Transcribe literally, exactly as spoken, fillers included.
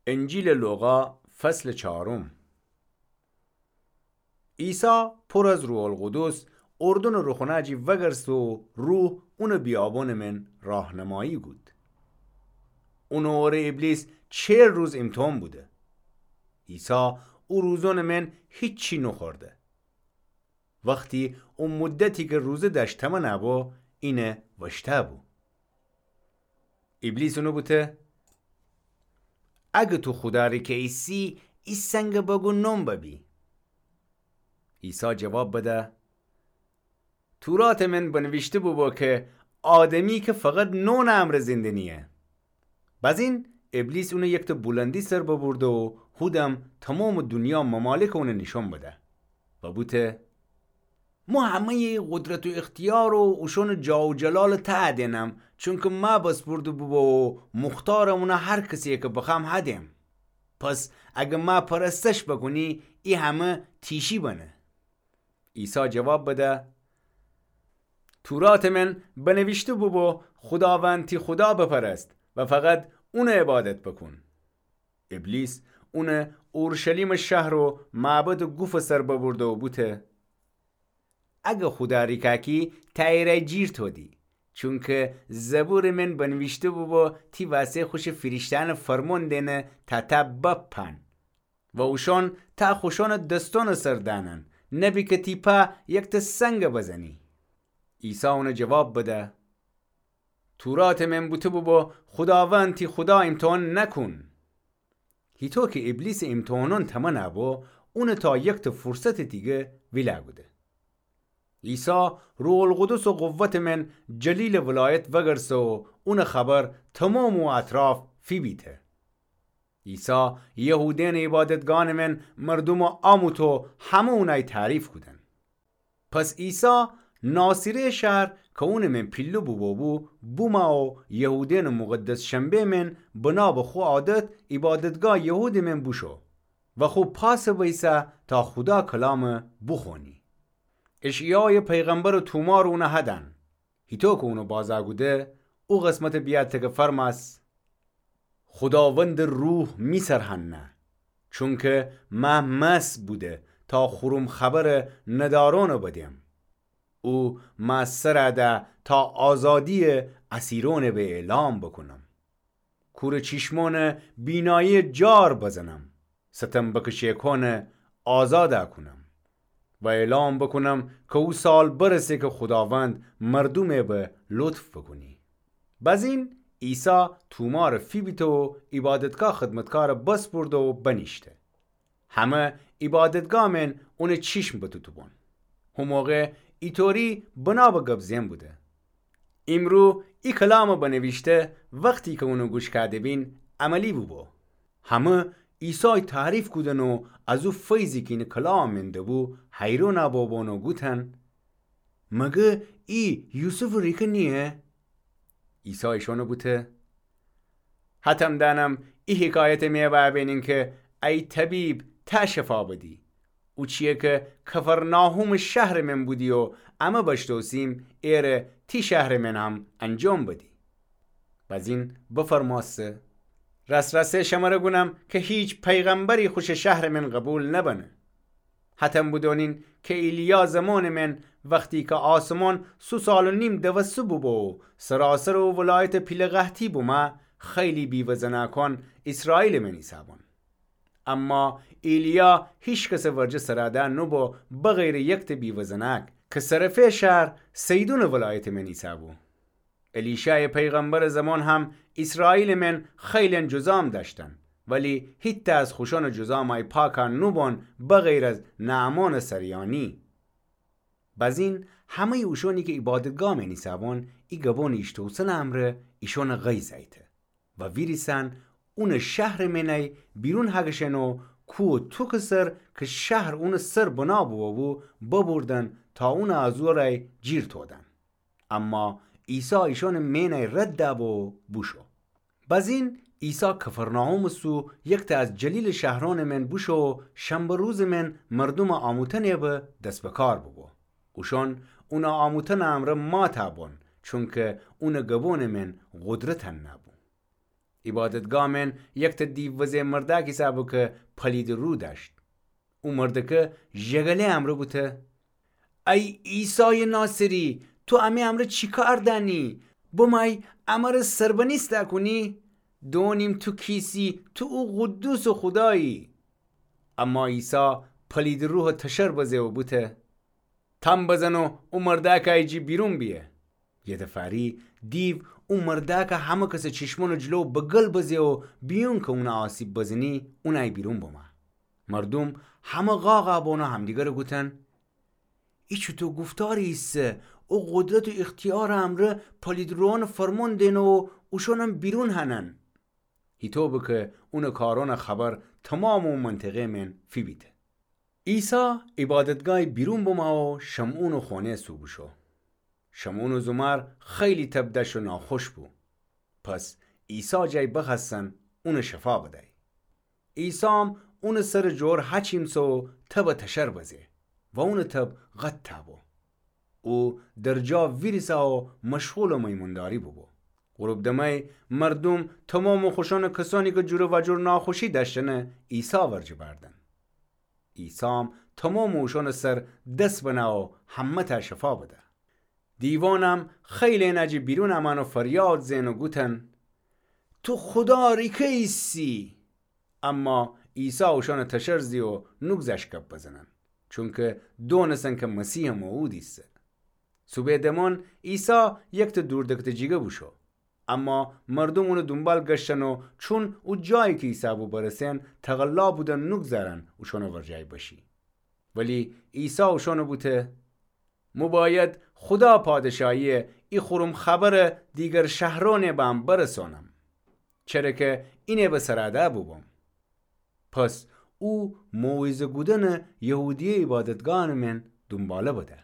انجیلٚ لوقا، فصلٚ چارم. عیسی پر از روح‌القدس اردنٚ روخونه‌جی وگرسته و روح اونٚ بیابونٚ من راهنمایی کود. اونٚ اوره ابلیس چل روز ایمتحان بوده. عیسی او روزونٚ من هیچی نوخورده. وختی او مدتی کی روزه دأشت تمنه بو، اینه وشته بو. ابلیس اونه بوته: اگه تو خودا ریکه ایسی، ای سنگ بگو نون ببی. عیسی جواب بده: توراتٚ من بنویشته بوبو کی آدمی کی فقط نونٚ امرأ زنده نییه. بزین ابلیس اونه یکته بولندی سر ببرده و هودم تومامٚ دونیا ممالکٚ اونه نیشان بده و بوته: مو همه‌یٚ قدرت و اختیار و اوشونٚ جاه و جلالٚ تأ دئنم، چونکی مأ بسپرده بوبو و مختارم اونه هر کسی کی بخوأم هدئم. پس اگه مأ پرستش بوکونی، ای همه تیشی بنه. عیسی جواب بده: توراتٚ من بنویشته بوبو خوداوند تی خودا بپرست و فقط اونه عبادت بوکون. ابلیس اونه اورشلیمٚ شهر و معبدٚ گوفٚ سر ببرده و بوته: اگه خودا ریکه کی، تأ ایرأی جیر تودی، چونکی زبورٚ من بنویشته بوبو تی وسه خوشٚ فیریشتأنٚ فرمون دئنه تا تأ بپأن و اوشون تأ خوشونٚ دسونٚ سر دأنن، نبی کی تی پا یکته سنگ بزنی. عیسی اونه جواب بده: توراتٚ من بوته بوبو خوداوند تی خودا ایمتحان نکون. هیطو کی ابلیسٚ ایمتحانون تمنه بو، اونه تا یکته فرصتٚ دیگه ویله کوده. عیسی روح‌القدس و قوتٚ من جلیلٚ ولایت وگرسه و اونٚ خبر تومامٚ او اطراف فیبیته. عیسی یهودینٚ عیبادتگانٚ من مردومٚ آموته و همه اونأی تعریف کودن. پس عیسی ناصره‌یٚ شهر کی اونٚ من پیله بوبو بو، بومه و یهودینٚ مقدس شنبه‌یٚ من بنا به خو عادت عیبادتگاه یهودٚ من بوشو و خو پاسٚ بیسه تا خودا کلامٚ بوخوأنی. اشعیایٚ پیغمبرٚ تومارٚ اونٚ هدأن. هیطو کی اونٚ بازأ کوده، او قسمتٚ بیأته کی فرمأس: خوداوندٚ روح می سر هنه، چونکی مأ مأسه بوده تا خورم خبرٚ ندارونٚ بدم. او مأ سر ده تا آزادییٚ اسیرونٚ به اعلام بوکونم. کورٚ چیشمونٚ بینایییٚ جار بزنم، ستم بکشه‌کونٚ آزادٚ کونم و اعلام بوکونم کی او سال برسه کی خوداوند مردومٚ به لطف بوکونی. بزین عیسی تومارٚ فیبیته و عیبادتگاه خدمتکارٚ بسپرده و بنیشته. همه عیبادتگاهٚ من اونٚ چیشم بتوتوبون. هو موقع ایطوری بنا به گب زئن بوده. ایمرو ای کلامٚ بنویشته وختی کی اونٚ گوش کوده‌بین عملی بوبو. همه عیسای تعریف کودن و از او فیضی کی اینٚ کلامٚ من دبو حیرونٚ بوبون و گوتن: مگه ای یوسفٚ ریکه نییه؟ عیسی ایشانٚ بوته: هتم دأنم ای حکایتٚ می بأبینین کی ای طبیب تأ شفا بدی. او چیی کی کفرناحومٚ شهرٚ من بودی و امه بشتوسیم ایره تی شهرٚ من هم انجام بدی. بزین بفرمأسته: رأس‌رأسه شمره گونم کی هیچ پیغمبری خوشٚ شهرٚ من قوبیل نبنه. هتم بدونین کی ایلیا زمانٚ من وختی کی آسمان سه سال و نیم دوسته بوبو و سراسرٚ او ولایت پیله قحطی بومه، خیلی بیوه‌زنأکان ایسرائیلٚ من ایسه‌بون. اما ایلیا هیکسٚ ورجه سرأده نوبو بغیرٚ یکته بیوه‌زنأک کی سرفه شهر صیدونٚ ولایتٚ من ایسه‌بو. الیشایٚ پیغمبرٚ زمان هم ایسرائیلٚ من خیلن جذام دأشتن، ولی هیتأ از خوشانٚ جذامأی پاکأ نوبون بغیر از نعمانٚ سریانی. بزین همه‌یٚ اوشانی کی عیبادتگاهٚ من ایسه‌بون ای گبونٚ ایشتوسنٚ امرأ ایشانٚ غیظ ایته و ویریسن اونٚ شهرٚ منأی بیرون هگشن و کوهٚ توکٚ سر کی شهر اونٚ سر بنا بوبو ببردن تا اونٚ از او رأی جیر تودن. اما عیسی ایشانٚ مئنأی رد دبو و بوشو. بزین عیسی کفرناحومٚ سو یکتأ از جلیلٚ شهرأنٚ من بوشو و شنبه روزٚ من مردومٚ آموتنٚ به دس به کار بوبو. اوشان اونٚ آموتنٚ امرأ ماتأ بون، چونکی اونٚ گبونٚ من قدرت نأبو. عیبادتگاه مئن یکتأ دیو وزه مردأک ایسه بو کی پلیدٚ روح دأشت. او مردأکه ژگله امرأ بوته: ای عیسایٚ ناصری، تو امه امرأ چی کار دأنی؟ بمأی امرأ سربنیسته کونی؟ دونیم تو کیسی، تو او قدوسٚ خودایی. اما عیسی پلیدٚ روحَ تشر بزه و بوته: تأمب بزن و او مردأکَ ایجی بیرون بیه. یه دفعه‌یی دیو او مردأکَ همه کسٚ چشمأنٚ جلو بگل بزه و بیون کی اونَ آسیب بزنی، اونَ ای بیرون بمأ. مردوم همه قاقَ بون و همدیگرَ گوتن: ای چوطو گفتاری ایسه؟ او قدرت و اختیارٚ امرأ پلیدٚ روحأنَ فرمون دئنه و اوشأنم بیرون هنن. هیطو به کی اونٚ کارأنٚ خبر تومامٚ او منطقه مئن فیبیته. عیسی عیبادتگاهی بیرون بمأ و شمعونٚ خونه‌یَ سو بوشو. شمعونٚ زومار خیلی تب دأشت و ناخوش بو. پس عیسی جأی بخوأستن اونَ شفا بدأی. عیسام اونٚ سرٚ جور هچیم سو و تبَ تشر بزه و اونٚ تب قطع بو. او در جا ویریسه و مشغولٚ میمونداری بوبو. غروب دمأی مردوم تومامٚ خوشأنٚ کسأنی کی جور و جور ناخوشی دأشتنه عیسی ورجه بأردن. عیسام تومامٚ اوشأنٚ سر دس بنه و همه‌تأ شفا بده. دیوأنم خیلی انه جٚه بیرون امأن و فریاد زئن و گوتن: تو خودا ریکه ایسی. اما عیسی اوشأنَ تشر زی و نوگذشت گب بزنن، چونکی دونستن کی مسیحٚ موعود ایسه. صوبه دمأن عیسی یکتأ دوردکتٚ جیگه بوشو. اما مردوم اونٚ دونبال گشتن و چون او جایی کی ایسه بو برسن، تقلا بودن نوگذارن اوشأنٚ ورجه بشی. ولی عیسی اوشأنَ بوته: مو بأید خودا پادشاهی‌یٚ ای خورم خبرَ دیگر شهرأنٚ بام برسانم، چره کی اینه به سرادأ بوبوم. پس او موعظه کودنَ یهودیه عیبادتگاهأنٚ مئن دونباله بده.